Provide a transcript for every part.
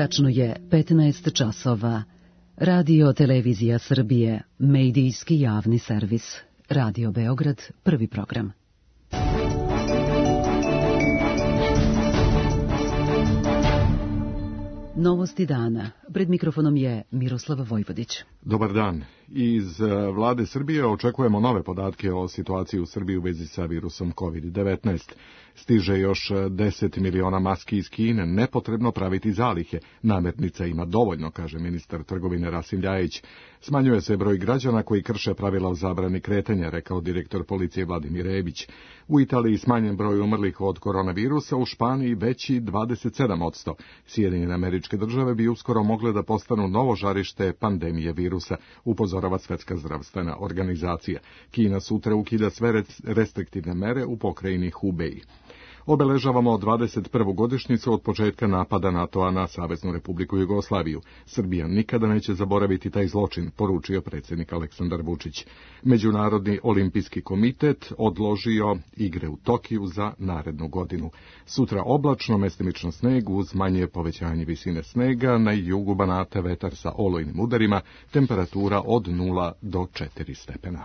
Tačno je 15 časova. Radio Televizija Srbije, medijski javni servis. Radio Beograd, prvi program. Novosti dana. Pred mikrofonom je Miroslava Vojvodić. Dobar dan. Iz vlade Srbije očekujemo nove podatke o situaciji u Srbiji u vezi sa virusom COVID-19. Stiže još 10 miliona maski iz Kine, nepotrebno praviti zalihe. Namirnica ima dovoljno, kaže ministar trgovine Rasim Ljajić. Smanjuje se broj građana koji krše pravila o zabrani kretanja, rekao direktor policije Vladimir Rebić. U Italiji smanjen broj umrlih od koronavirusa, u Španiji veći 27%. Sjedinjene Američke Države bi uskoro mogle da postanu novo žarište pandemije virusa, upozorava Svetska zdravstvena organizacija. Kina sutra ukida sve restriktivne mere u pokrajini Hubei. Obeležavamo 21. godišnjicu od početka napada NATO-a na Saveznu Republiku Jugoslaviju. Srbija nikada neće zaboraviti taj zločin, poručio predsjednik Aleksandar Vučić. Međunarodni olimpijski komitet odložio igre u Tokiju za narednu godinu. Sutra oblačno, mestimično sneg uz manje povećanje visine snega, na jugu Banata vetar sa olujnim udarima, temperatura od 0 do 4 stepena.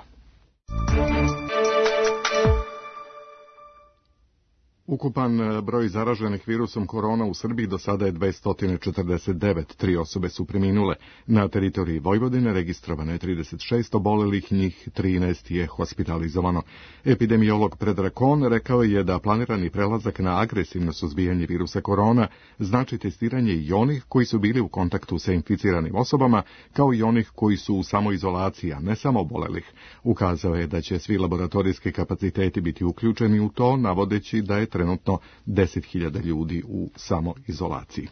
Ukupan broj zaraženih virusom korona u Srbiji do sada je 249, 3 osobe su preminule. Na teritoriji Vojvodine registrovano je 36 obolelih, njih 13 je hospitalizovano. Epidemiolog Predrag Kon rekao je da planirani prelazak na agresivno suzbijanje virusa korona znači testiranje i onih koji su bili u kontaktu sa inficiranim osobama, kao i onih koji su u samoizolaciji, a ne samo obolelih. Ukazao je da će svi laboratorijski kapaciteti biti uključeni u to, navodeći da je trenutno 10.000 ljudi u samoizolaciji.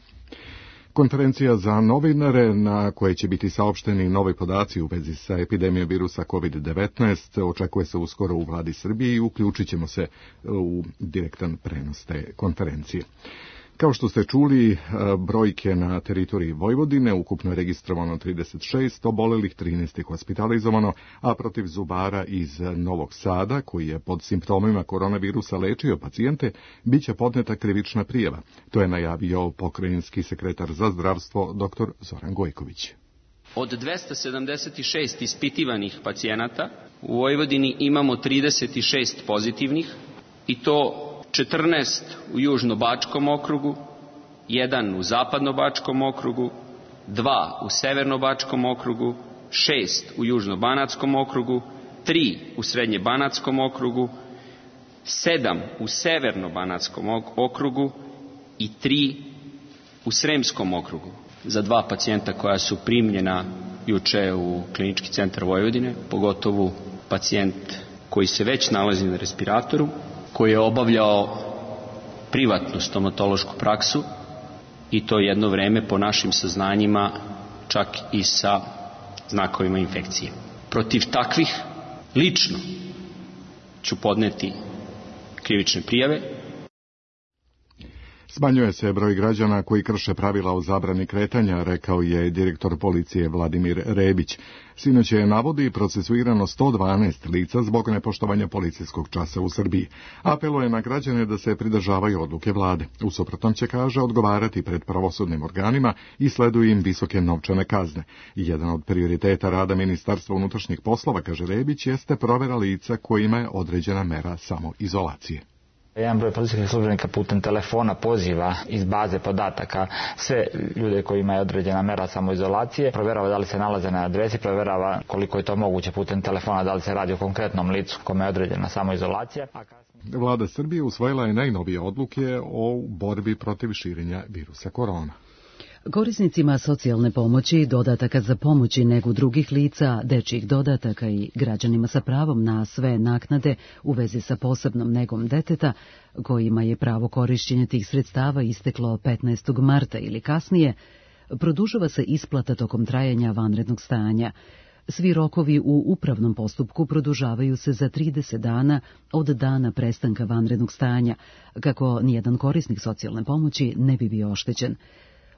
Konferencija za novinare na kojoj će biti saopšteni novi podaci u vezi sa epidemijom virusa COVID-19 očekuje se uskoro u vladi Srbije i uključit ćemo se u direktan prenos te konferencije. Kao što ste čuli, brojke na teritoriji Vojvodine, ukupno je registrovano 36 obolelih, 13 je hospitalizovano, a protiv zubara iz Novog Sada, koji je pod simptomima koronavirusa lečio pacijente, bit će podneta krivična prijava. To je najavio pokrajinski sekretar za zdravstvo dr. Zoran Gojković. Od 276 ispitivanih pacijenata u Vojvodini imamo 36 pozitivnih i to 14 u Južno-Bačkom okrugu, 1 u Zapadno-Bačkom okrugu, 2 u Severno-Bačkom okrugu, 6 u Južno-Banatskom okrugu, 3 u Srednje-Banatskom okrugu, 7 u Severno-Banatskom okrugu i 3 u Sremskom okrugu. Za 2 pacijenta koja su primljena juče u Klinički centar Vojvodine, pogotovo pacijent koji se već nalazi na respiratoru, koji je obavljao privatnu stomatološku praksu i to jedno vreme po našim saznanjima čak i sa znakovima infekcije. Protiv takvih lično ću podneti krivične prijave. Smanjuje se broj građana koji krše pravila o zabrani kretanja, rekao je direktor policije Vladimir Rebić. Sinoć je navodi procesuirano 112 lica zbog nepoštovanja policijskog časa u Srbiji. Apeluje na građane da se pridržavaju odluke vlade. U suprotnom će, kaže, odgovarati pred pravosudnim organima i sleduju im visoke novčane kazne. Jedan od prioriteta rada Ministarstva unutrašnjih poslova, kaže Rebić, jeste provera lica kojima je određena mera samoizolacije. Jedan broj policijskih službenika putem telefona poziva iz baze podataka sve ljude kojima je određena mera samoizolacije, provjerava da li se nalaze na adresi, provjerava koliko je to moguće putem telefona, da li se radi o konkretnom licu kome je određena samoizolacija. Vlada Srbije usvojila je najnovije odluke o borbi protiv širenja virusa korona. Korisnicima socijalne pomoći, dodataka za pomoć i negu drugih lica, dečjih dodataka i građanima sa pravom na sve naknade u vezi sa posebnom negom deteta, kojima je pravo korišćenja tih sredstava isteklo 15. marta ili kasnije, produžava se isplata tokom trajanja vanrednog stanja. Svi rokovi u upravnom postupku produžavaju se za 30 dana od dana prestanka vanrednog stanja, kako nijedan korisnik socijalne pomoći ne bi bio oštećen.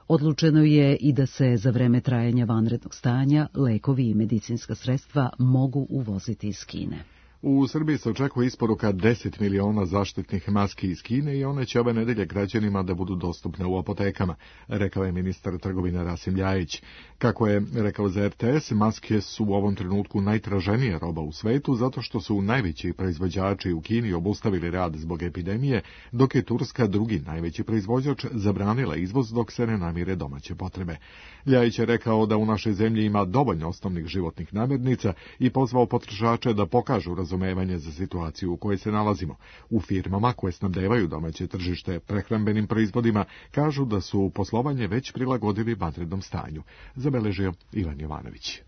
Odlučeno je i da se za vreme trajanja vanrednog stanja lekovi i medicinska sredstva mogu uvoziti iz Kine. U Srbiji se očekuje isporuka 10 miliona zaštitnih maski iz Kine i one će ove nedelje građanima da budu dostupne u apotekama, rekao je ministar trgovine Rasim Ljajić. Kako je rekao za RTS, maske su u ovom trenutku najtraženija roba u svetu zato što su najveći proizvođači u Kini obustavili rad zbog epidemije, dok je Turska drugi najveći proizvođač zabranila izvoz dok se ne namire domaće potrebe. Ljajić je rekao da u našoj zemlji ima dovoljno osnovnih životnih namirnica i pozvao potrošače da pokažu razumevanje za situaciju u kojoj se nalazimo. U firmama koje snabdevaju domaće tržište prehrambenim proizvodima kažu da su poslovanje već prilagodili vanrednom stanju, zabeležio Ivan Jovanović.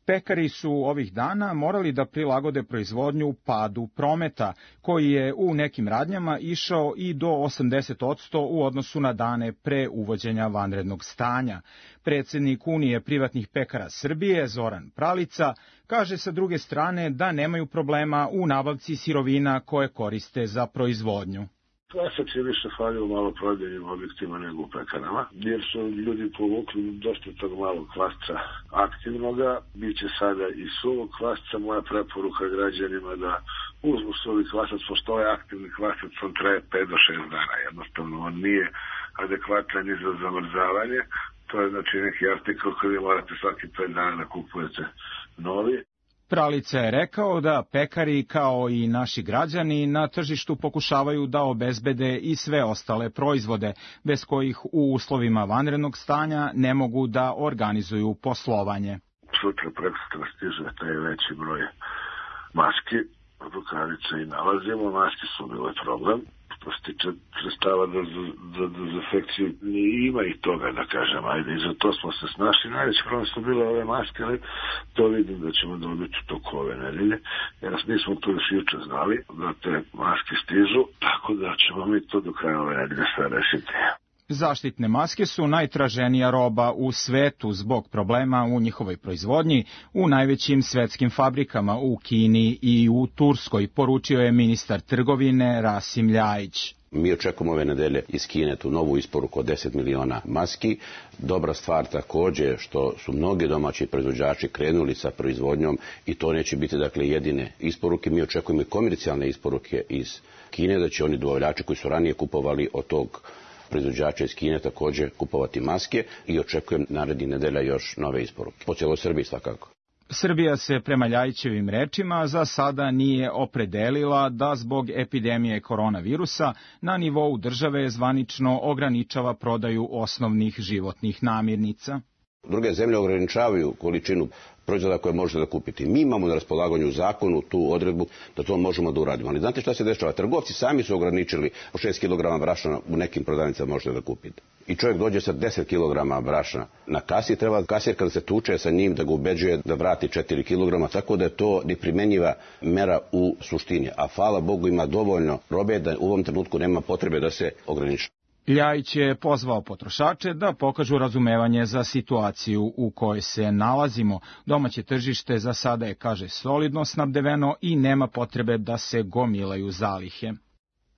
Pekari su ovih dana morali da prilagode proizvodnju padu prometa, koji je u nekim radnjama išao i do 80% u odnosu na dane pre uvođenja vanrednog stanja. Predsednik Unije privatnih pekara Srbije, Zoran Pralica, kaže sa druge strane da nemaju problema u nabavci sirovina koje koriste za proizvodnju. Kvasac je više falio u maloprodajnim objektima nego u pekarama, jer su ljudi povukli dosta tog malog kvasca aktivnoga. Biće sada i suvog kvasca. Moja preporuka građanima da uzmu suvi kvasac, pošto ovaj aktivni kvasac on traje 5 do 6 dana. Jednostavno, on nije adekvatan ni za zamrzavanje. To je znači neki artikl koji vi morate svaki 5 dana da kupujete novi. Pralica je rekao da pekari, kao i naši građani, na tržištu pokušavaju da obezbede i sve ostale proizvode, bez kojih u uslovima vanrednog stanja ne mogu da organizuju poslovanje. Sutra prekosutra stiže taj veći broj maski, rukavice i nalazimo. Maske su bile problem. Što se tiče sredstava za dezinfekciju, ima i toga, da kažem, ajde, i za to smo se snašli. Najveći problem su bile ove maske, ali to vidim da ćemo dobiti toku ove nedelje, jer nismo to još juče znali, da te maske stižu, tako da ćemo mi to do kraja ove nedelje sve rešiti. Zaštitne maske su najtraženija roba u svetu zbog problema u njihovoj proizvodnji u najvećim svetskim fabrikama u Kini i u Turskoj, poručio je ministar trgovine Rasim Ljajić. Mi očekujemo ove nedelje iz Kine tu novu isporuku od 10 miliona maski. Dobra stvar također što su mnogi domaći proizvođači krenuli sa proizvodnjom i to neće biti dakle jedine isporuke. Mi očekujemo i komercijalne isporuke iz Kine, da će oni dobavljači koji su ranije kupovali od tog proizvođača iz Kine također kupovati maske i očekujem narednih nedelja još nove isporuke. Po cijeloj Srbiji svakako. Srbija se prema Ljajićevim rečima za sada nije opredelila da zbog epidemije koronavirusa na nivou države zvanično ograničava prodaju osnovnih životnih namirnica. Druge zemlje ograničavaju količinu proizvoda koje možete da kupiti. Mi imamo na raspolaganju u zakonu tu odredbu da to možemo da uradimo. Ali znate šta se dešava? Trgovci sami su ograničili po 6 kg brašna u nekim prodavnicama možete da kupite. I čovjek dođe sa 10 kg brašna na kasi, treba kasir kada se tuče sa njim da ga ubeđuje da vrati 4 kg, tako da je to neprimenjiva mera u suštini. A hvala Bogu ima dovoljno robe da u ovom trenutku nema potrebe da se ograniči. Ljajić je pozvao potrošače da pokažu razumevanje za situaciju u kojoj se nalazimo. Domaće tržište za sada je, kaže, solidno snabdeveno i nema potrebe da se gomilaju zalihe.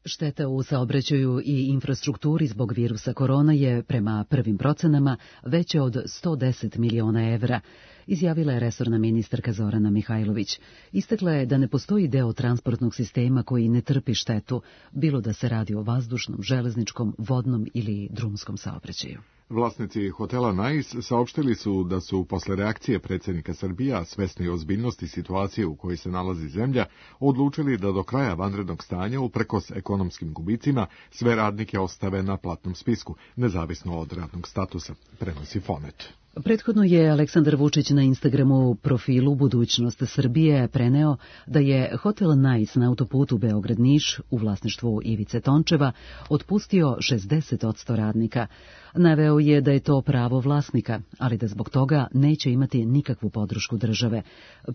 Šteta u saobraćaju i infrastrukturi zbog virusa korona je, prema prvim procenama, veće od 110 miliona evra, izjavila je resorna ministarka Zorana Mihajlović. Istakla je da ne postoji deo transportnog sistema koji ne trpi štetu, bilo da se radi o vazdušnom, železničkom, vodnom ili drumskom saobraćaju. Vlasnici hotela Nais saopštili su da su posle reakcije predsjednika Srbija, svesni ozbiljnosti situacije u kojoj se nalazi zemlja, odlučili da do kraja vanrednog stanja, uprkos ekonomskim gubicima, sve radnike ostave na platnom spisku, nezavisno od radnog statusa, prenosi Fonet. Prethodno je Aleksandar Vučić na Instagramu profilu Budućnost Srbije preneo da je hotel Nais na autoputu Beograd-Niš u vlasništvu Ivice Tončeva otpustio 60% radnika. Naveo je da je to pravo vlasnika, ali da zbog toga neće imati nikakvu podršku države.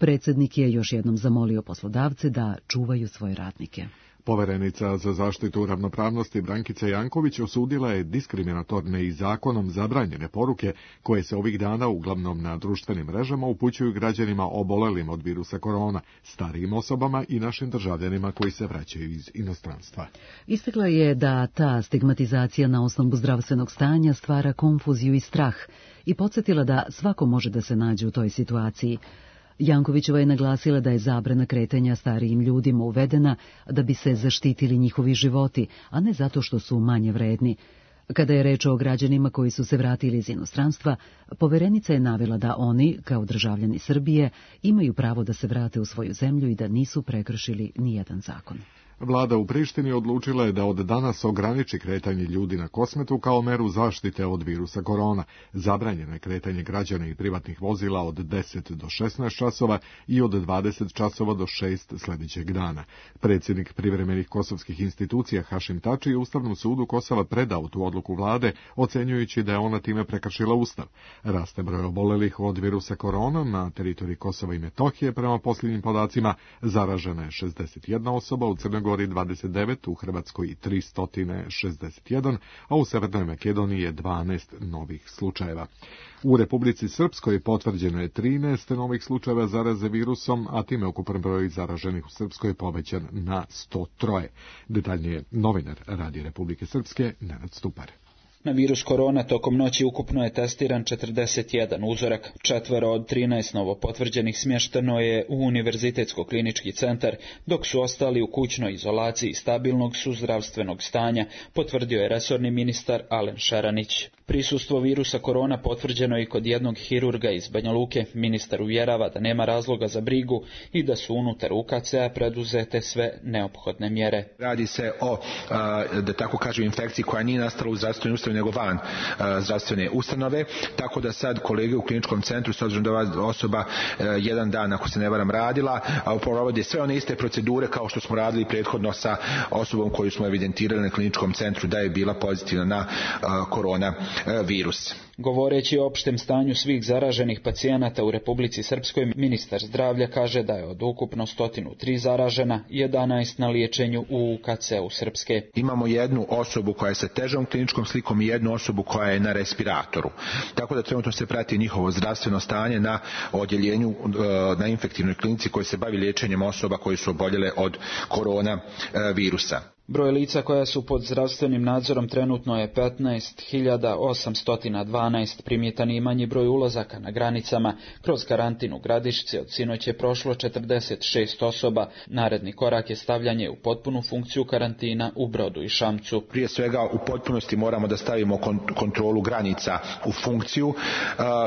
Predsjednik je još jednom zamolio poslodavce da čuvaju svoje radnike. Poverenica za zaštitu ravnopravnosti Brankica Janković osudila je diskriminatorne i zakonom zabranjene poruke koje se ovih dana uglavnom na društvenim mrežama upućuju građanima obolelim od virusa korona, starijim osobama i našim državljanima koji se vraćaju iz inostranstva. Istakla je da ta stigmatizacija na osnovu zdravstvenog stanja stvara konfuziju i strah i podsjetila da svako može da se nađe u toj situaciji. Jankovićeva je naglasila da je zabrana kretanja starijim ljudima uvedena da bi se zaštitili njihovi životi, a ne zato što su manje vredni. Kada je reč o građanima koji su se vratili iz inostranstva, poverenica je navela da oni, kao državljani Srbije, imaju pravo da se vrate u svoju zemlju i da nisu prekršili nijedan zakon. Vlada u Prištini odlučila je da od danas ograniči kretanje ljudi na Kosmetu kao meru zaštite od virusa korona. Zabranjeno je kretanje građana i privatnih vozila od 10 do 16 časova i od 20 časova do 6 sljedećeg dana. Predsjednik privremenih kosovskih institucija Hašim Tači je Ustavnom sudu Kosova predao tu odluku vlade, ocenjujući da je ona time prekršila Ustav. Raste broj obolelih od virusa korona na teritoriji Kosova i Metohije. Prema posljednjim podacima zaražena je 61 osoba, u Crnoj Gori 29, u Hrvatskoj 361, a u Severnoj Makedoniji je 12 novih slučajeva. U Republici Srpskoj potvrđeno je 13 novih slučajeva zaraze virusom, a time ukupan broj zaraženih u Srpskoj povećan na 103. Detaljnije novinar Radija Republike Srpske, Nenad Stupar. Na virus korona tokom noći ukupno je testiran 41 uzorak. 4 od 13 novo potvrđenih smješteno je u Univerzitetsko-klinički centar, dok su ostali u kućnoj izolaciji stabilnog su zdravstvenog stanja, potvrdio je resorni ministar Alen Šaranić. Prisustvo virusa korona potvrđeno je i kod jednog hirurga iz Banja Luke. Ministar uvjerava da nema razloga za brigu i da su unutar UKC-a preduzete sve neophodne mjere. Radi se o, da tako kažem, infekciji koja nije nastala u zdravstvenoj ustanovi nego van zdravstvene ustanove, tako da sad kolege u kliničkom centru, s obzirom da ova osoba jedan dan, ako se ne varam, radila, provode sve one iste procedure kao što smo radili prethodno sa osobom koju smo evidentirali na kliničkom centru da je bila pozitivna na korona virus. Govoreći o opštem stanju svih zaraženih pacijenata u Republici Srpskoj, ministar zdravlja kaže da je od ukupno 103 zaražena, 11 na liječenju u UKC-u Srpske. Imamo jednu osobu koja je sa težom kliničkom slikom i jednu osobu koja je na respiratoru. Tako da trenutno se prati njihovo zdravstveno stanje na odjeljenju na infektivnoj klinici koji se bavi liječenjem osoba koji su oboljele od korona virusa. Broj lica koja su pod zdravstvenim nadzorom trenutno je 15.812, primjetan je i manji broj ulazaka na granicama. Kroz karantin u Gradišci od sinoć je prošlo 46 osoba. Naredni korak je stavljanje u potpunu funkciju karantina u Brodu i Šamcu. Prije svega u potpunosti moramo da stavimo kontrolu granica u funkciju.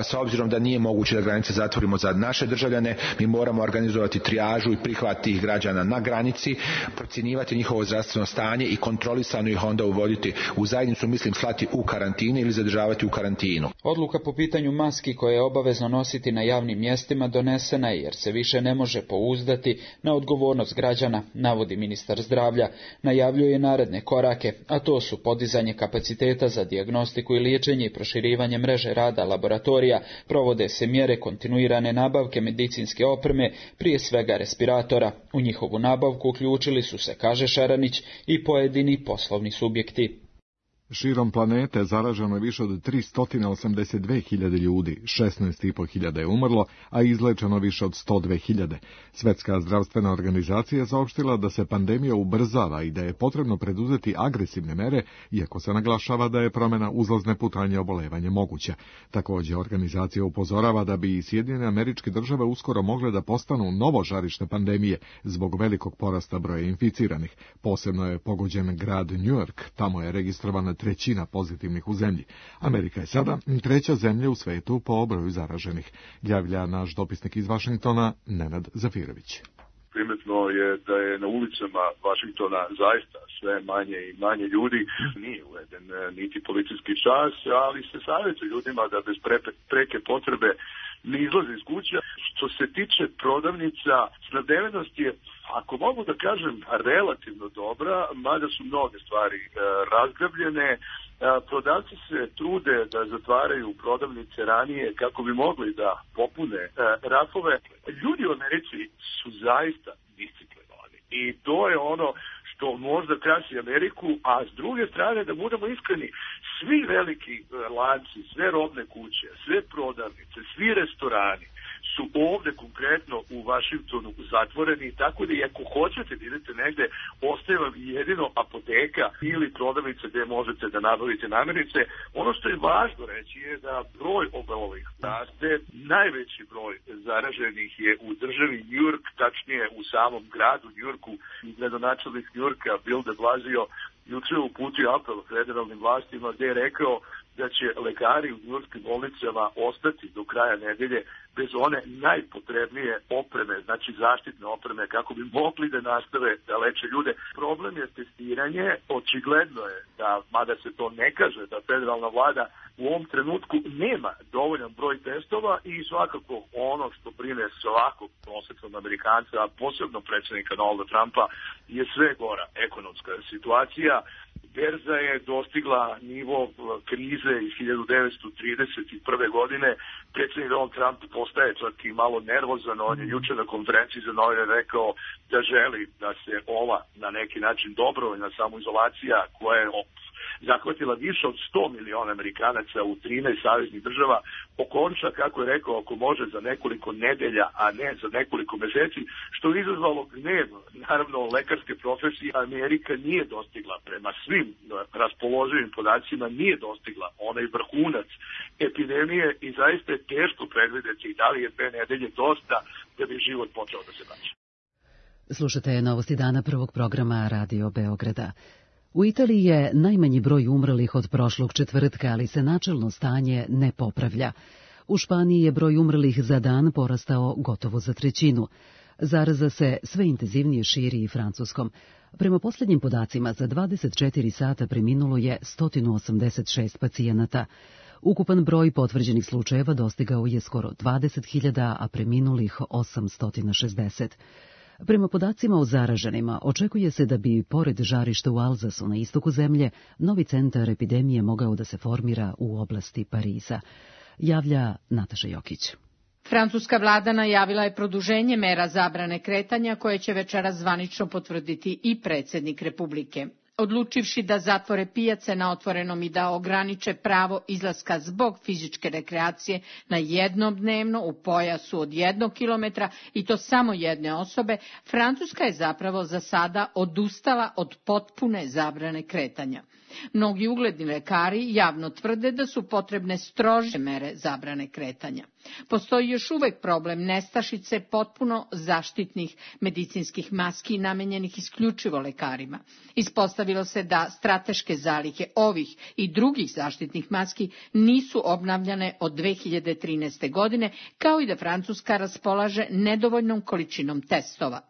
S obzirom da nije moguće da granice zatvorimo za naše državljane, mi moramo organizovati trijažu i prihvat tih građana na granici, procjenjivati njihovo zdravstveno stanje i kontrolisano ih onda uvoditi u zajednicu, mislim slati u karantinu ili zadržavati u karantinu. Odluka po pitanju maski koje je obavezno nositi na javnim mjestima donesena je jer se više ne može pouzdati na odgovornost građana, navodi ministar zdravlja. Najavljuje naredne korake, a to su podizanje kapaciteta za dijagnostiku i liječenje i proširivanje mreže rada laboratorija, provode se mjere kontinuirane nabavke medicinske opreme, prije svega respiratora. U njihovu nabavku uključili su se, kaže Šaranić, i pojedini poslovni subjekti. Širom planete zaraženo je više od 382.000 ljudi, 16.500 je umrlo, a izlečeno više od 102.000. Svjetska zdravstvena organizacija je saopštila da se pandemija ubrzava i da je potrebno preduzeti agresivne mere, iako se naglašava da je promjena uzlazne putanje obolevanja moguća. Također, organizacija upozorava da bi i Sjedinjene Američke Države uskoro mogle da postanu novo žarište pandemije zbog velikog porasta broja inficiranih. Posebno je pogođen grad New York, tamo je registrovana trećina pozitivnih u zemlji. Amerika je sada treća zemlja u svetu po broju zaraženih. Javlja naš dopisnik iz Vašingtona, Nenad Zafirović. Primetno je da je na ulicama Vašingtona zaista sve manje i manje ljudi. Nije uveden niti policijski čas, ali se savjetuje ljudima da bez preke potrebe ne izlaze iz kuća. Što se tiče prodavnica, snabdevenost je, ako mogu da kažem, relativno dobra, mada su mnoge stvari razgrabljene. Prodavci se trude da zatvaraju prodavnice ranije kako bi mogli da popune rafove. Ljudi u Americi su zaista disciplinovani i to je ono što možda krasi Ameriku, a s druge strane, da budemo iskreni, svi veliki lanci, sve robne kuće, sve prodavnice, svi restorani su ovde konkretno u Vašingtonu zatvoreni, tako da i ako hoćete da idete negde, ostaje vam jedino apoteka ili prodavnica gde možete da nabavite namirnice. Ono što je važno reći je da broj obolelih raste, najveći broj zaraženih je u državi New York, tačnije u samom gradu New Yorku. Gradonačelnik New Yorka Bill de Blasio juče uputio apel federalnim vlastima gde je rekao da će lekari u njujorškim bolnicama ostati do kraja nedelje bez one najpotrebnije opreme, znači zaštitne opreme, kako bi mogli da nastave da leče ljude. Problem je testiranje, očigledno je da, mada se to ne kaže, da federalna vlada u ovom trenutku nema dovoljan broj testova i svakako ono što brine svakog prosječnog Amerikanca, a posebno predsjednika Donalda Trumpa, je sve gora ekonomska situacija. Berza je dostigla nivo krize iz 1931. godine. Predsjednik Donald Trump postaje čak i malo nervozan. On je juče na konferenciji za novinare rekao da želi da se ova na neki način dobrovoljna samoizolacija koja je zahvatila više od 100 miliona Amerikanaca u 13 saveznih država okonča, kako je rekao, ako može za nekoliko nedelja, a ne za nekoliko meseci, što je izazvalo gnev, naravno, lekarske profesije. Amerika nije dostigla, prema svim raspoloživim podacima, nije dostigla onaj vrhunac epidemije i zaista je teško predvideti da li je 2 nedelje dosta da bi život počeo da se vraća. Slušate Novosti dana, prvog programa Radio Beograda. U Italiji je najmanji broj umrlih od prošlog četvrtka, ali se načelno stanje ne popravlja. U Španiji je broj umrlih za dan porastao gotovo za 1/3. Zaraza se sve intenzivnije širi i Francuskom. Prema posljednjim podacima, za 24 sata preminulo je 186 pacijenata. Ukupan broj potvrđenih slučajeva dostigao je skoro 20.000, a preminulih 860. Prema podacima o zaraženima, očekuje se da bi, pored žarišta u Alzasu na istoku zemlje, novi centar epidemije mogao da se formira u oblasti Pariza. Javlja Nataša Jokić. Francuska vlada najavila je produženje mera zabrane kretanja koje će večeras zvanično potvrditi i predsjednik Republike. Odlučivši da zatvore pijace na otvorenom i da ograniče pravo izlaska zbog fizičke rekreacije na jednom dnevno u pojasu od 1 kilometra i to samo jedne osobe, Francuska je zapravo za sada odustala od potpune zabrane kretanja. Mnogi ugledni lekari javno tvrde da su potrebne strože mere zabrane kretanja. Postoji još uvek problem nestašice potpuno zaštitnih medicinskih maski namenjenih isključivo lekarima. Ispostavilo se da strateške zalihe ovih i drugih zaštitnih maski nisu obnavljane od 2013. godine, kao i da Francuska raspolaže nedovoljnom količinom testova.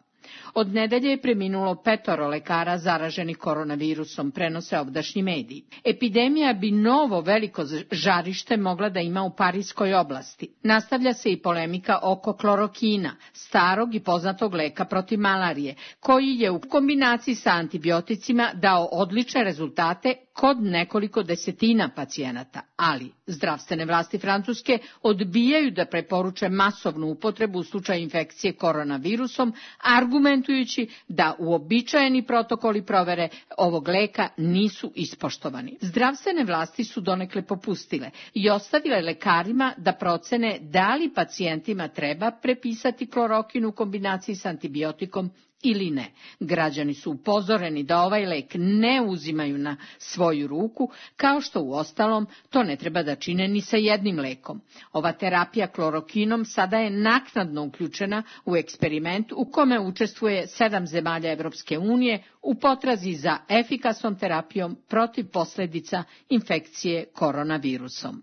Od nedelje je preminulo 5 lekara zaraženih koronavirusom, prenose ovdašnji mediji. Epidemija bi novo veliko žarište mogla da ima u Parijskoj oblasti. Nastavlja se i polemika oko klorokina, starog i poznatog leka protiv malarije, koji je u kombinaciji sa antibioticima dao odlične rezultate kod nekoliko desetina pacijenata, ali zdravstvene vlasti Francuske odbijaju da preporuče masovnu upotrebu u slučaju infekcije koronavirusom, argumentujući da uobičajeni protokoli provere ovog leka nisu ispoštovani. Zdravstvene vlasti su donekle popustile i ostavile lekarima da procene da li pacijentima treba prepisati klorokin u kombinaciji s antibiotikom ili ne. Građani su upozoreni da ovaj lek ne uzimaju na svoju ruku, kao što uostalom to ne treba da čine ni sa jednim lekom. Ova terapija klorokinom sada je naknadno uključena u eksperiment u kome učestvuje 7 zemalja Evropske unije u potrazi za efikasnom terapijom protiv posljedica infekcije koronavirusom.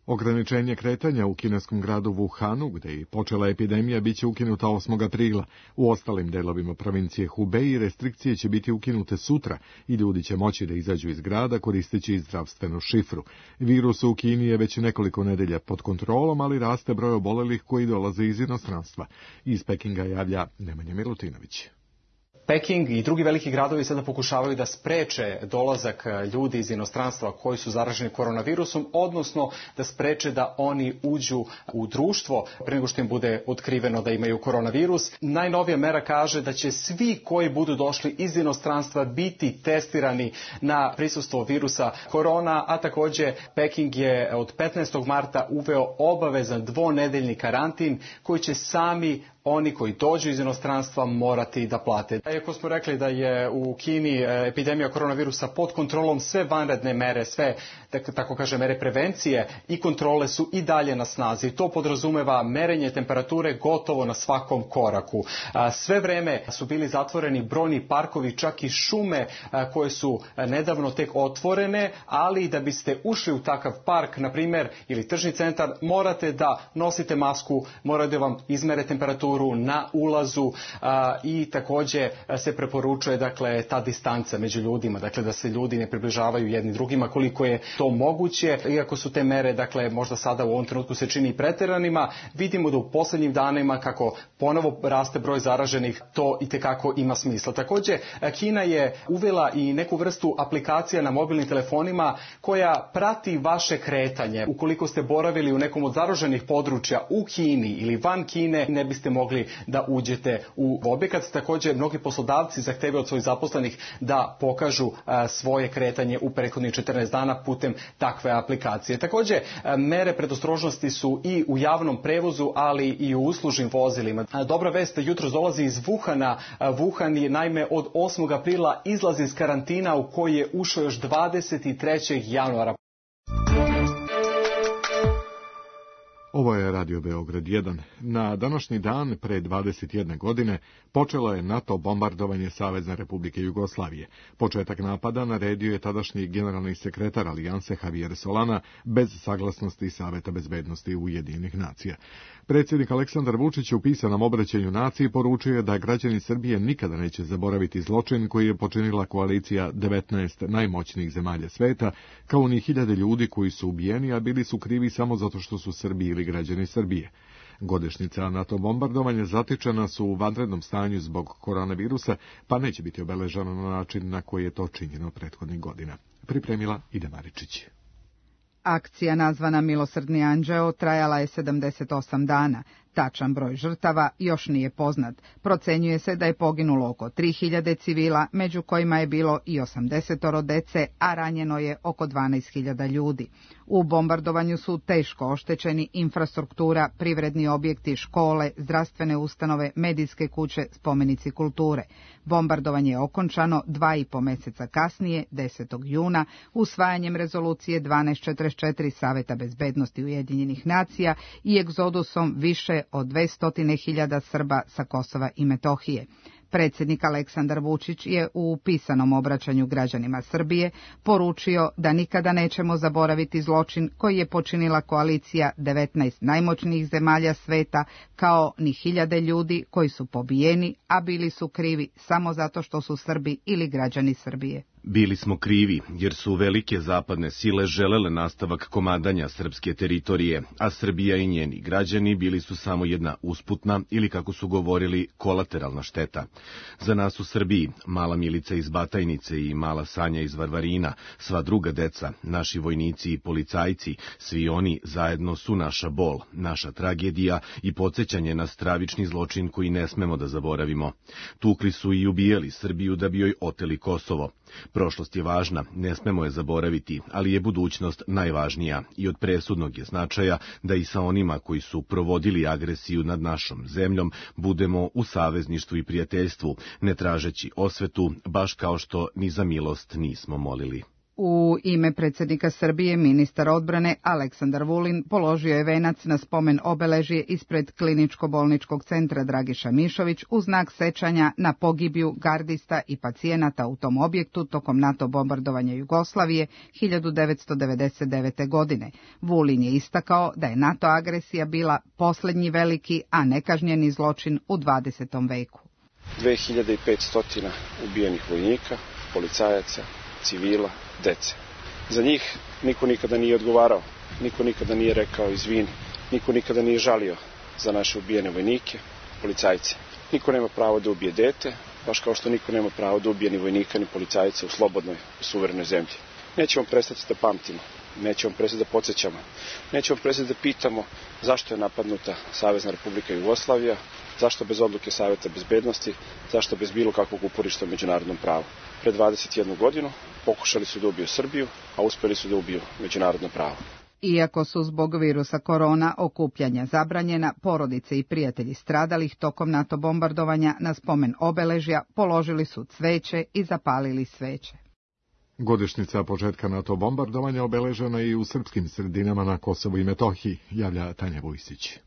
Ograničenje kretanja u kineskom gradu Wuhanu, gde je počela epidemija, biće ukinuta 8. aprila. U ostalim delovima provincije Hubei restrikcije će biti ukinute sutra i ljudi će moći da izađu iz grada koristeći zdravstvenu šifru. Virus u Kini je već nekoliko nedelja pod kontrolom, ali raste broj obolelih koji dolaze iz inostranstva. Iz Pekinga javlja Nemanja Milutinović. Peking i drugi veliki gradovi sada pokušavaju da spreče dolazak ljudi iz inostranstva koji su zaraženi koronavirusom, odnosno da spreče da oni uđu u društvo pre nego što im bude otkriveno da imaju koronavirus. Najnovija mera kaže da će svi koji budu došli iz inostranstva biti testirani na prisustvo virusa korona, a takođe Peking je od 15. marta uveo obavezan dvonedeljni karantin koji će sami oni koji dođu iz inostranstva morati da plate. Iako smo rekli da je u Kini epidemija koronavirusa pod kontrolom, sve vanredne mere, sve, tako kaže, mere prevencije i kontrole su i dalje na snazi. To podrazumeva merenje temperature gotovo na svakom koraku. Sve vreme su bili zatvoreni brojni parkovi, čak i šume koje su nedavno tek otvorene, ali da biste ušli u takav park, na primjer, ili tržni centar, morate da nosite masku, morate da vam izmere temperaturu na ulazu i takođe se preporučuje, dakle, ta distanca među ljudima, dakle da se ljudi ne približavaju jedni drugima koliko je to moguće. Iako su te mere, dakle, možda sada u ovom trenutku se čini preteranima, vidimo da u poslednjim danima kako ponovo raste broj zaraženih, to itekako ima smisla. Takođe, Kina je uvela i neku vrstu aplikacija na mobilnim telefonima koja prati vaše kretanje. Ukoliko ste boravili u nekom od zaraženih područja u Kini ili van Kine, ne biste mogli da uđete u objekat. Također, mnogi poslodavci zahtevaju od svojih zaposlenih da pokažu svoje kretanje u prethodnih 14 dana putem takve aplikacije. Također, mere predostrožnosti su i u javnom prevozu, ali i u uslužnim vozilima. Dobra vest jutros dolazi iz Wuhana. Wuhan je naime od 8. aprila izlazi iz karantina u koji je ušao još 23. januara. Ovo je Radio Beograd 1. Na današnji dan, pre 21 godine, počelo je NATO bombardovanje Savezne Republike Jugoslavije. Početak napada naredio je tadašnji generalni sekretar Alijanse Javier Solana bez saglasnosti Saveta bezbednosti Ujedinjenih nacija. Predsjednik Aleksandar Vučić u pisanom obraćanju naciji poručio je da građani Srbije nikada neće zaboraviti zločin koji je počinila koalicija 19 najmoćnijih zemalja sveta, kao ni hiljade ljudi koji su ubijeni, a bili su krivi samo zato što su Srbi ili građani Srbije. Godišnjica NATO bombardovanja zatičena su u vanrednom stanju zbog koronavirusa, pa neće biti obeležena na način na koji je to činjeno prethodnih godina. Pripremila Ida Maričić. Akcija nazvana Milosrdni anđeo trajala je 78 dana. Tačan broj žrtava još nije poznat. Procenjuje se da je poginulo oko 3000 civila, među kojima je bilo i 80 dece, a ranjeno je oko 12.000 ljudi. U bombardovanju su teško oštećeni infrastruktura, privredni objekti, škole, zdravstvene ustanove, medijske kuće, spomenici kulture. Bombardovanje je okončano 2,5 meseca kasnije, 10. juna, usvajanjem rezolucije 1244 Saveta bezbednosti Ujedinjenih nacija i egzodusom više od 200.000 Srba sa Kosova i Metohije. Predsjednik Aleksandar Vučić je u pisanom obraćanju građanima Srbije poručio da nikada nećemo zaboraviti zločin koji je počinila koalicija 19 najmoćnijih zemalja sveta, kao ni hiljade ljudi koji su pobijeni, a bili su krivi samo zato što su Srbi ili građani Srbije. Bili smo krivi, jer su velike zapadne sile želele nastavak komadanja srpske teritorije, a Srbija i njeni građani bili su samo jedna usputna ili, kako su govorili, kolateralna šteta. Za nas u Srbiji, mala Milica iz Batajnice i mala Sanja iz Varvarina, sva druga deca, naši vojnici i policajci, svi oni zajedno su naša bol, naša tragedija i podsjećanje na stravični zločin koji ne smemo da zaboravimo. Tukli su i ubijali Srbiju da bi joj oteli Kosovo. Prošlost je važna, ne smemo je zaboraviti, ali je budućnost najvažnija i od presudnog je značaja da i sa onima koji su provodili agresiju nad našom zemljom budemo u savezništvu i prijateljstvu, ne tražeći osvetu, baš kao što ni za milost nismo molili. U ime predsjednika Srbije, ministar odbrane Aleksandar Vulin položio je venac na spomen obeležje ispred Kliničko-bolničkog centra Dragiša Mišović u znak sećanja na pogibiju gardista i pacijenata u tom objektu tokom NATO bombardovanja Jugoslavije 1999. godine. Vulin je istakao da je NATO agresija bila posljednji veliki, a nekažnjeni zločin u 20. veku. 2500 ubijenih vojnika, policajaca, civila, dece. Za njih niko nikada nije odgovarao, niko nikada nije rekao izvini, niko nikada nije žalio za naše ubijene vojnike, policajce. Niko nema pravo da ubije dete, baš kao što niko nema pravo da ubije ni vojnika ni policajca u slobodnoj, suverenoj zemlji. Nećemo prestati da pamtimo, nećemo prestati da podsjećamo, nećemo prestati da pitamo zašto je napadnuta Savezna Republika Jugoslavija, zašto bez odluke Saveta bezbednosti, zašto bez bilo kakvog uporišta u međunarodnom pravu. Pre 21 godinu pokušali su da ubiju Srbiju, a uspeli su da ubiju međunarodno pravo. Iako su zbog virusa korona okupljanja zabranjena, porodice i prijatelji stradalih tokom NATO bombardovanja na spomen obeležja položili su cveće i zapalili sveće. Godišnjica početka NATO bombardovanja obeležena je i u srpskim sredinama na Kosovu i Metohiji, javlja Tanja Vujsić.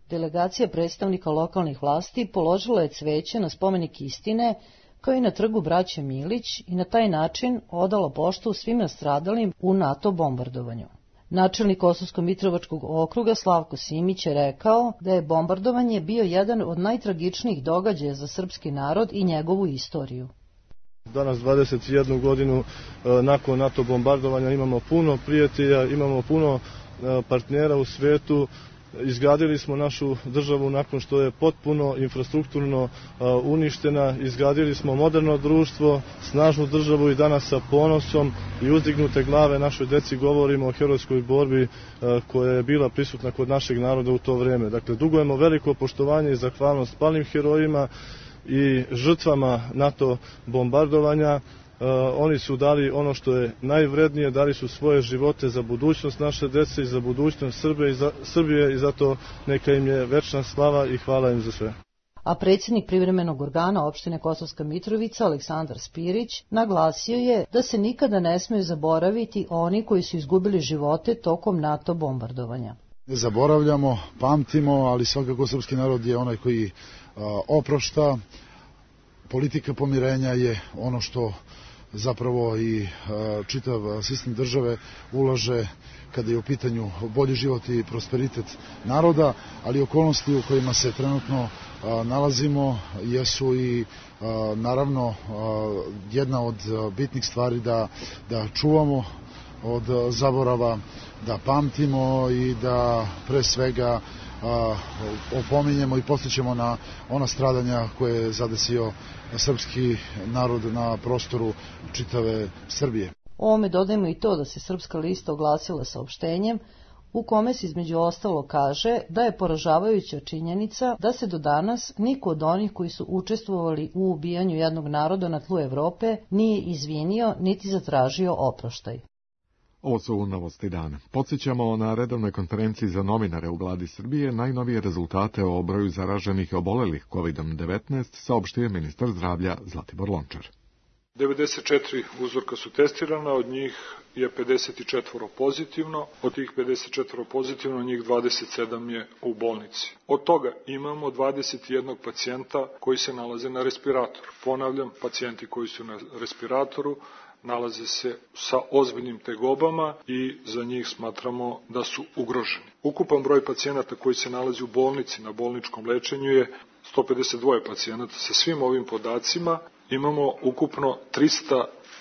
Delegacija predstavnika lokalnih vlasti položila je cveće na spomenik istine, kao i na trgu braće Milić, i na taj način odala poštu svim nastradalim u NATO bombardovanju. Načelnik Kosovsko-Mitrovačkog okruga Slavko Simić je rekao da je bombardovanje bio jedan od najtragičnijih događaja za srpski narod i njegovu istoriju. Danas 21 godinu nakon NATO bombardovanja imamo puno prijatelja, imamo puno partnera u svetu. Izgradili smo našu državu nakon što je potpuno infrastrukturno uništena, izgradili smo moderno društvo, snažnu državu i danas sa ponosom i uzdignute glave našoj deci govorimo o herojskoj borbi koja je bila prisutna kod našeg naroda u to vreme. Dakle, dugujemo veliko poštovanje i zahvalnost palim herojima i žrtvama NATO bombardovanja. Oni su dali ono što je najvrednije, dali su svoje živote za budućnost naše dece i za budućnost Srbije i zato neka im je večna slava i hvala im za sve. A predsjednik privremenog organa opštine Kosovska Mitrovica Aleksandar Spirić naglasio je da se nikada ne smiju zaboraviti oni koji su izgubili živote tokom NATO bombardovanja. Ne zaboravljamo, pamtimo, ali svakako srpski narod je onaj koji oprošta. Politika pomirenja je ono što zapravo i čitav sistem države ulaže kada je u pitanju bolji život i prosperitet naroda, ali okolnosti u kojima se trenutno nalazimo jesu i naravno jedna od bitnih stvari da čuvamo od zaborava, da pamtimo i da pre svega opominjemo i podsjećamo na ona stradanja koje je zadesio srpski narod na prostoru čitave Srbije. Ovome dodajemo i to da se Srpska lista oglasila saopštenjem u kome se između ostalo kaže da je poražavajuća činjenica da se do danas niko od onih koji su učestvovali u ubijanju jednog naroda na tlu Evrope nije izvinio niti zatražio oproštaj. Ovo su novosti dana. Podsjećamo na redovnoj konferenciji za novinare u vladi Srbije najnovije rezultate o broju zaraženih i obolelih COVID-19 saopštio ministar zdravlja Zlatibor Lončar. 94 uzorka su testirana, od njih je 54 pozitivno, od tih 54 pozitivno njih 27 je u bolnici. Od toga imamo 21 pacijenta koji se nalaze na respiratoru. Ponavljam, pacijenti koji su na respiratoru nalaze se sa ozbiljnim tegobama i za njih smatramo da su ugroženi. Ukupan broj pacijenata koji se nalazi u bolnici na bolničkom lečenju je 152 pacijenata. Sa svim ovim podacima imamo ukupno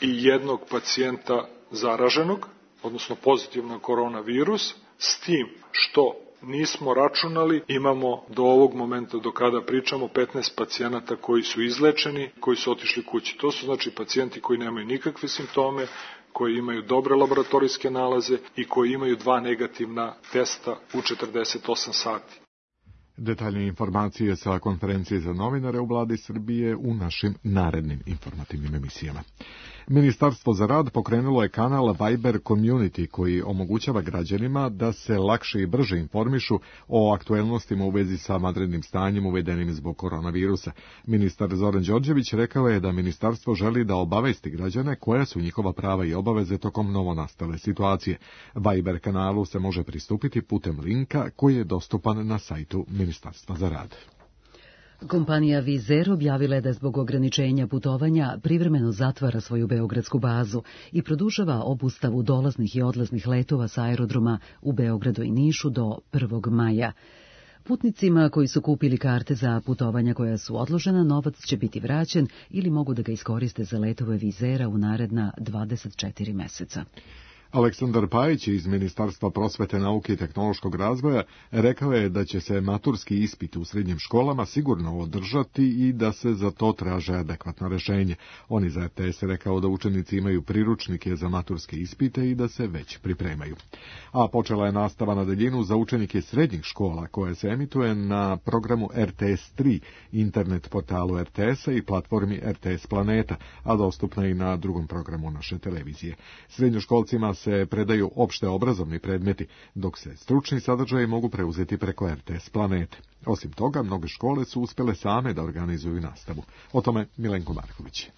301 pacijenta zaraženog, odnosno pozitivno koronavirus, s tim što nismo računali, imamo do ovog momenta do kada pričamo 15 pacijenata koji su izlečeni, koji su otišli kući. To su znači pacijenti koji nemaju nikakve simptome, koji imaju dobre laboratorijske nalaze i koji imaju 2 negativna testa u 48 sati. Detaljnije informacije sa konferencije za novinare u vladi Srbije u našim narednim informativnim emisijama. Ministarstvo za rad pokrenulo je kanal Viber Community koji omogućava građanima da se lakše i brže informišu o aktuelnostima u vezi sa vanrednim stanjem uvedenim zbog koronavirusa. Ministar Zoran Đorđević rekao je da ministarstvo želi da obavesti građane koja su njihova prava i obaveze tokom novonastale situacije. Viber kanalu se može pristupiti putem linka koji je dostupan na sajtu Ministarstva za rad. Kompanija Vizer objavila je da zbog ograničenja putovanja privremeno zatvara svoju beogradsku bazu i produžava obustavu dolaznih i odlaznih letova sa aerodroma u Beogradu i Nišu do 1. maja. Putnicima koji su kupili karte za putovanja koja su odložena, novac će biti vraćen ili mogu da ga iskoriste za letove Vizera u naredna 24 meseca. Aleksandar Pajić iz Ministarstva prosvete, nauke i tehnološkog razvoja rekao je da će se maturski ispit u srednjim školama sigurno održati i da se za to traže adekvatno rešenje. On iz RTS rekao da učenici imaju priručnike za maturske ispite i da se već pripremaju. A počela je nastava na daljinu za učenike srednjih škola koja se emituje na programu RTS 3, internet portalu RTS-a i platformi RTS Planeta, a dostupna i na drugom programu naše televizije. Srednjoškolcima se predaju opšte obrazovni predmeti, dok se stručni sadržaji mogu preuzeti preko RTS Planete. Osim toga, mnoge škole su uspjele same da organizuju nastavu. O tome Milenko Marković.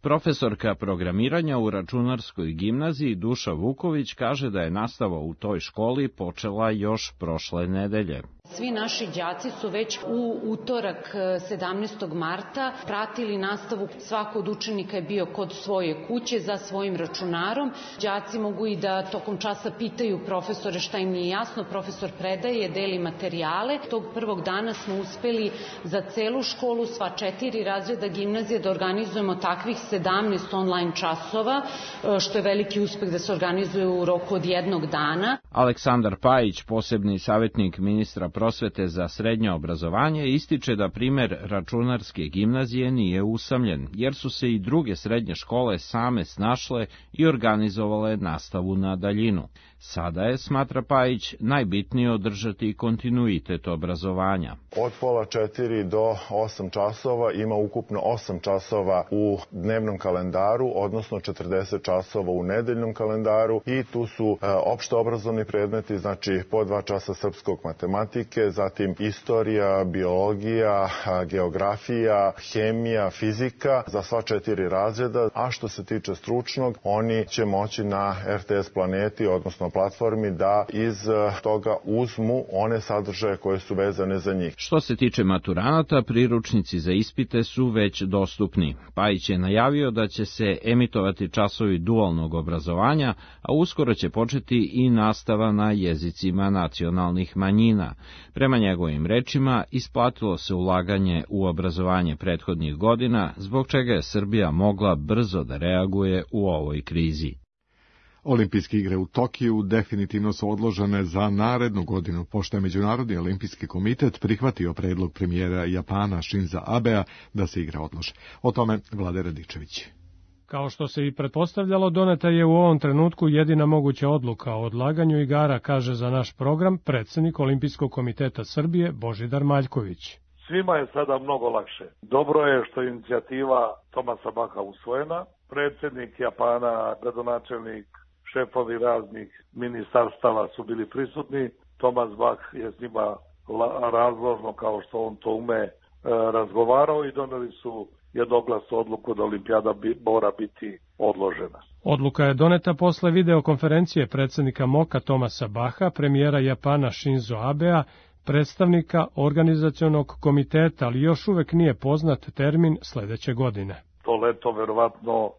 Profesorka programiranja u računarskoj gimnaziji Duša Vuković kaže da je nastava u toj školi počela još prošle nedelje. Svi naši đaci su već u utorak 17. marta pratili nastavu. Svako od učenika je bio kod svoje kuće za svojim računarom. Đaci mogu i da tokom časa pitaju profesore šta im nije jasno. Profesor predaje, deli materijale. Tog prvog dana smo uspeli za celu školu, sva 4 razreda gimnazije, da organizujemo takvih 17 online časova, što je veliki uspeh da se organizuje u roku od jednog dana. Aleksandar Pajić, posebni savjetnik ministra prosvete za srednje obrazovanje, ističe da primer računarske gimnazije nije usamljen, jer su se i druge srednje škole same snašle i organizovale nastavu na daljinu. Sada je, smatra Pajić, najbitnije održati kontinuitet obrazovanja. Od pola 4 do 8 časova ima ukupno 8 časova u dnevnom kalendaru, odnosno 40 časova u nedeljnom kalendaru i tu su opšte obrazovni predmeti, znači po 2 časa srpskog matematike, zatim istorija, biologija, geografija, hemija, fizika za sva 4 razreda, a što se tiče stručnog, oni će moći na RTS Planeti, odnosno platformi, da iz toga uzmu one sadržaje koje su vezane za njih. Što se tiče maturanata, priručnici za ispite su već dostupni. Pajić je najavio da će se emitovati časovi dualnog obrazovanja, a uskoro će početi i nastava na jezicima nacionalnih manjina. Prema njegovim rečima, isplatilo se ulaganje u obrazovanje prethodnih godina, zbog čega je Srbija mogla brzo da reaguje u ovoj krizi. Olimpijske igre u Tokiju definitivno su odložene za narednu godinu, pošto je Međunarodni olimpijski komitet prihvatio predlog premijera Japana Shinza Abea da se igra odlože. O tome Vlade Radičević. Kao što se i pretpostavljalo, doneta je u ovom trenutku jedina moguća odluka o odlaganju igara, kaže za naš program predsjednik Olimpijskog komiteta Srbije Božidar Maljković. Svima je sada mnogo lakše. Dobro je što je inicijativa Tomasa Baha usvojena. Predsjednik Japana, gradonačelnik, šefovi raznih ministarstava su bili prisutni. Tomas Bach je s njima razložno, kao što on to ume, razgovarao i doneli su jednoglasnu odluku da olimpijada mora biti odložena. Odluka je doneta posle videokonferencije predsjednika MOK-a Tomasa Baha, premijera Japana Shinzo Abea, predstavnika organizacionog komiteta, ali još uvek nije poznat termin sledeće godine. To leto verovatno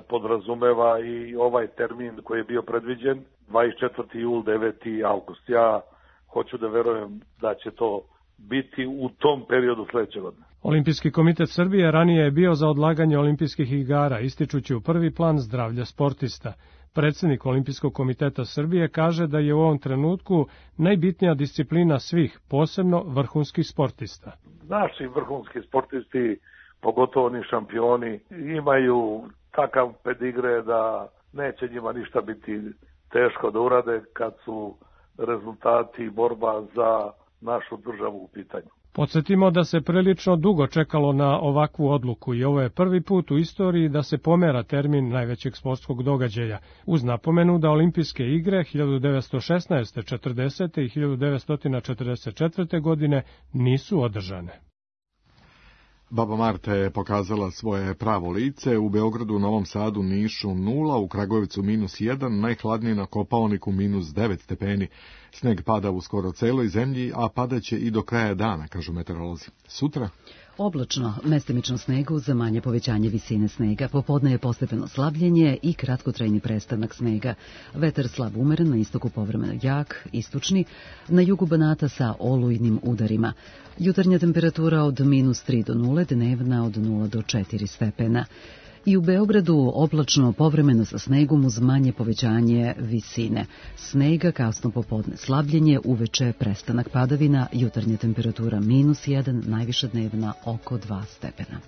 podrazumeva i ovaj termin koji je bio predviđen, 24. jul, 9. avgust. Ja hoću da verujem da će to biti u tom periodu sledeće godine. Olimpijski komitet Srbije ranije je bio za odlaganje olimpijskih igara, ističući u prvi plan zdravlja sportista. Predsjednik Olimpijskog komiteta Srbije kaže da je u ovom trenutku najbitnija disciplina svih, posebno vrhunskih sportista. Naši vrhunski sportisti, pogotovo ni šampioni, imaju takav pedigre da neće njima ništa biti teško da urade kad su rezultati i borba za našu državu u pitanju. Podsjetimo da se prilično dugo čekalo na ovakvu odluku i ovo je prvi put u istoriji da se pomera termin najvećeg sportskog događaja, uz napomenu da olimpijske igre 1916. 40. i 1944. godine nisu održane. Baba Marta je pokazala svoje pravo lice, u Beogradu, Novom Sadu, Nišu 0, u Kragujevcu -1, najhladnije na Kopaoniku -9 stepeni. Sneg pada u skoro celoj zemlji, a padaće i do kraja dana, kažu meteorolozi. Sutra? Oblačno, mestimično snegu za manje povećanje visine snega, popodne je postepeno slabljenje i kratkotrajni prestanak snega. Vetar slab umeren, na istoku povremeno jak, istočni, na jugu Banata sa olujnim udarima. Jutarnja temperatura od -3 do 0, dnevna od 0 do 4 stepena. I u Beogradu oblačno povremeno sa snegom uz manje povećanje visine. Snega, kasno popodne slabljenje, uveče prestanak padavina, jutarnja temperatura -1, najviša dnevna oko 2 stepena.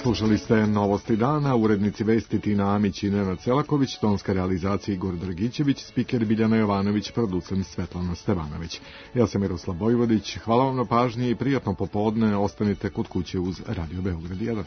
Slušali ste Novosti dana, urednici vesti Tina Amić i Nenad Selaković, tonska realizacija Igor Dragićević, spiker Biljana Jovanović, producent Svetlana Stevanović. Ja sam Miroslav Bojvodić, hvala vam na pažnji i prijatno popodne, ostanite kod kuće uz Radio Beograd 1.